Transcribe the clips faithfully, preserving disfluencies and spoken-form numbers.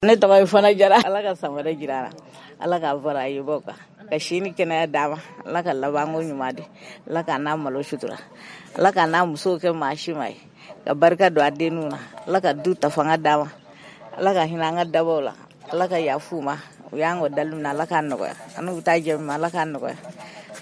Ne tɔgɔ ye Fana Jara. Ala ka san wɛrɛ jira an na. Ala k'a fara a yebɔ kan ka si ni kɛnɛya d'a ma. Ala ka labanko ɲuman di. Ala k'a n'a malo sutura. Ala k'a n'a musow kɛ maa si ma ye ka barika don a denninw na. Ala ka du ta fanga d'a ma. Ala ka hinɛ an ka dabaw la. Ala ka yafu ma. U y'an kɔ dali min na, Ala k'a nɔgɔya. An n'u bɛ taa jɛ min ma, Ala k'a nɔgɔya.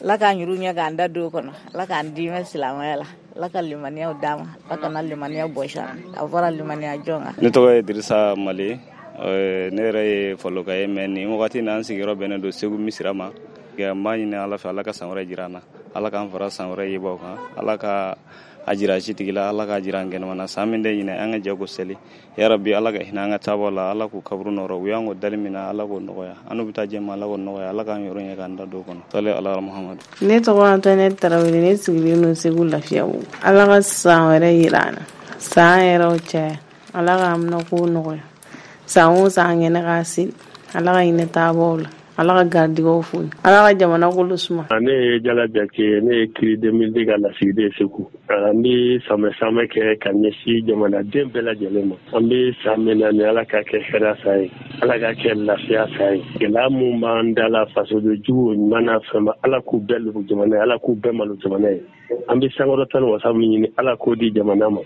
Ala k'an yuru ɲɛ k'an da don o kɔnɔ. Ala k'an dimɛ silamɛya la. Ala ka limaniyaw d'a ma. Ala kana limaniya bɔsi an na. A fɔra limaniya jɔn kan. Ne tɔgɔ ye Dirisa Male. Ne yɛrɛ ye fɔlɔka ye, mais nin wagati na an sigiyɔrɔ bɛnnen don Segu Misira ma. N b'a ɲini Ala fɛ, Ala ka san wɛrɛ jira an na. Ala k'an fara san wɛrɛ yebaw kan. Ala ka a jira sitigi la, Ala k'a jira an kɛnɛma na. San min tɛ ɲinɛ, an ka jɛ k'o seli. Yarabi, Ala ka hinɛ an ka taabɔ la. Ala k'u kaburu nɔrɔ. U y'an kɔ dali min na, Ala k'o nɔgɔya. An n'u bɛ taa jɛ ma, Ala k'o nɔgɔya. Ala k'an yɔrɔ ɲɛ k'an da don o kɔnɔ. Sali ala Muhamadu. Ne tɔgɔ Antoinette Tarawele. Ne sigilen don Segu Lafiyabugu. Ala ka san wɛrɛ yira an na. San yɛrɛw caya. Ala k'an minɛ k'o nɔgɔya. San o san kɛnɛ k'a seli. Ala ka hinɛ taabaw la. Ala ka garijɛgɛw foni. Ala ka jamana kolo suma. Ne ye Jala Jate, ne ye CRI deux mille deux ka lasigiden Segu. An bɛ samɛ samɛ kɛ ka ɲɛsin jamanaden bɛɛ lajɛlen ma. An bɛ san min na ni, Ala ka kɛ hɛrɛ san ye, Ala ka kɛ lafiya san ye. Gɛlɛya mun b'an da la, fasoden jugu ɲuman n'a fɛn ma, Ala k'u bɛɛ lugu jamana ye, Ala k'u bɛɛ malo jamana ye. An bɛ sankɔrɔta ni wasa min ɲini, Ala k'o di jamana ma.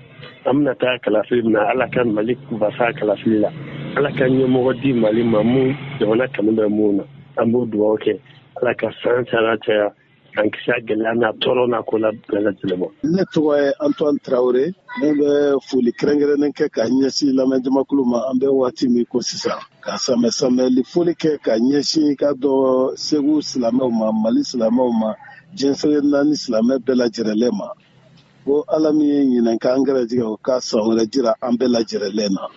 An bɛna taa kalafili min na, Ala ka Mali wasa kalafili la. Ala ka ɲɛmɔgɔ di Mali ma mun jamana kanu bɛ mun na. An b'o dugawu kɛ. Ala ka san sara caya k'an kisi a gɛlɛya n'a tɔɔrɔ n'a ko la bɛɛ lajɛlen ma. Ne tɔgɔ ye Antoine Traoré. Ne bɛ foli kɛrɛnkɛrɛnnen kɛ ka ɲɛsin lamɛnjamakulu ma an bɛ waati min ko sisan, ka samɛ samɛli foli kɛ ka ɲɛsin ka dɔ Segu silamɛw ma, Mali silamɛw ma, diɲɛ naani silamɛ bɛɛ lajɛrɛlen ma, ko Ala min ye ɲinɛ k'an gɛrɛjɛgɛ, o ka san wɛrɛ jira an bɛɛ lajɛrɛlen na.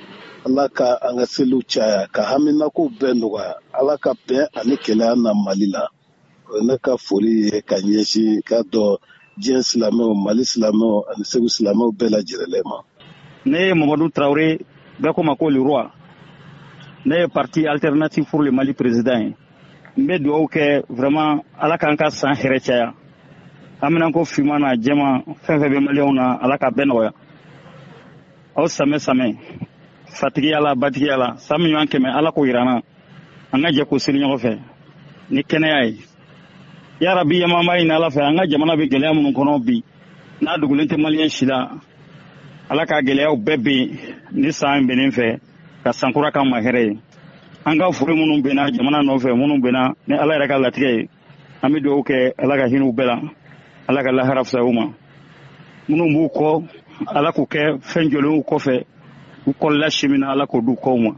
Ala ka an ka seliw caya ka haminakow bɛɛ nɔgɔya. Ala ka bɛn ani kɛlɛya na Mali la. O ye ne ka foli ye ka ɲɛsin ka dɔ diɲɛ silamɛw, Mali silamɛw ani Segu silamɛw bɛɛ lajɛrɛlen ma. Ne ye Mamadu Traoré, bɛɛ ko ma ko le roi. Ne ye Parti Alternative pour le Mali président ye. N bɛ dugawu kɛ vraiment, Ala k'an ka san hɛrɛ caya. Haminanko finman n'a jɛman, fɛn fɛn bɛ maliyɛnw na, Ala k'a bɛɛ nɔgɔya. Aw samɛ samɛ fatigiya la, batigiya la, san min ɲɔgɔn kɛmɛ, Ala k'o yira an na. An ka jɛ k'o seli ɲɔgɔn fɛ ni kɛnɛya ye. Yarabi, yama b'a ɲini Ala fɛ, an ka jamana bɛ gɛlɛya minnu kɔnɔ bi, n'a dogolen tɛ maliyɛn si la, Ala ka gɛlɛyaw bɛɛ ben ni san bɛnnen fɛ ka sankura k'an ma hɛrɛ ye. An ka foro minnu benna jamana nɔfɛ, minnu benna ni Ala yɛrɛ ka latigɛ ye, an bɛ dugawu kɛ, Ala ka hinɛw bɛɛ la, Ala ka lahara fisaya u ma. Minnu b'u kɔ, Ala k'u kɛ fɛn jɔlenw kɔfɛ, u kɔlila si min na, Ala k'o d'u kɔw ma.